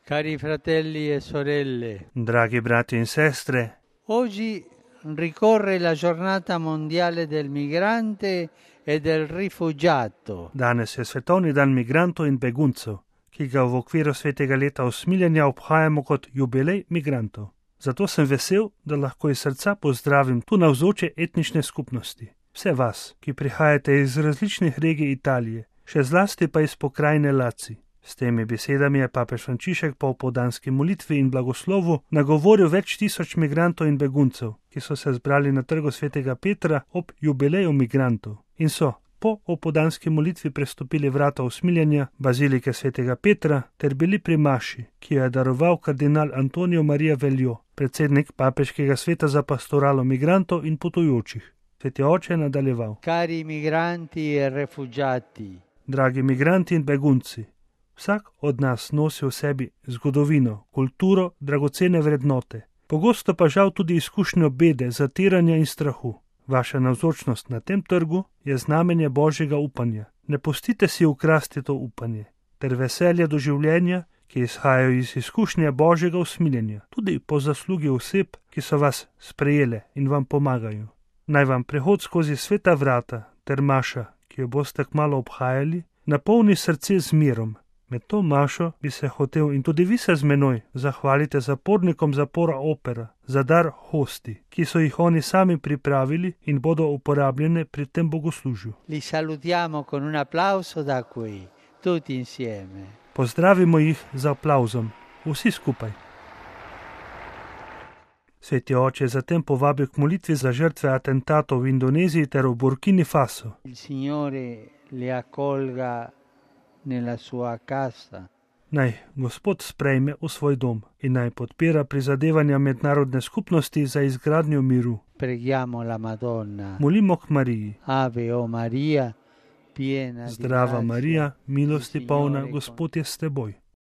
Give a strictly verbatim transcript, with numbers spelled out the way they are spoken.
Cari fratelli e sorelle, Draghi brati in sestre, oggi ricorre la giornata mondiale del migrante e del rifugiato. danes je svetovni dan migrantov in beguncev, ki ga v okviru svetega leta usmiljenja obhajamo kot jubilej migrantov. Zato sem vesel, da lahko iz srca pozdravim tu navzoče etnične skupnosti. Vse vas, ki prihajate iz različnih regij Italije, še zlasti pa iz pokrajine Laci. S temi besedami je papež Frančišek po opoldanski molitvi in blagoslovu nagovoril več tisoč migrantov in beguncev, ki so se zbrali na trgu svetega Petra ob jubileju migrantov in so po opoldanski molitvi prestopili vrata usmiljenja bazilike svetega Petra ter bili pri maši, ki jo je daroval kardinal Antonijo Marija Veljo, predsednik papeškega sveta za pastoralo migrantov in potujočih. Sveti oče je nadaljeval: Cari migranti e rifugiati, Dragi migranti in begunci, vsak od nas nosi v sebi zgodovino, kulturo, dragocene vrednote, pogosto pa žal tudi izkušnjo bede, zatiranja in strahu. Vaša navzočnost na tem trgu je znamenje božjega upanja. Ne pustite si ukrasti to upanje ter veselje do življenja, ki izhajajo iz izkušnje božjega usmiljenja, tudi po zaslugi oseb, ki so vas sprejele in vam pomagajo. Naj vam prehod skozi sveta vrata ter maša, ki jo boste kmalu obhajali, napolni srce z mirom. Med to mašo bi se hotel in tudi vi se z menoj zahvalite zapornikom zapora Opera za dar hosti, ki so jih oni sami pripravili in bodo uporabljene pri tem bogoslužju. li salutiamo con un applauso da qui, tutti insieme. Pozdravimo jih z aplavzom, vsi skupaj. Sveti oče je zatem povabil k molitvi za žrtve atentatov v Indoneziji ter v Burkini Faso. Il Signore li accolga nella sua casa. Naj Gospod sprejme v svoj dom in naj podpira prizadevanja mednarodne skupnosti za izgradnjo miru. Preghiamo la Madonna. Molimo k Mariji. Ave o Maria, piena di Zdrava grazia, Marija, milosti il polna, Signore Gospod je s teboj.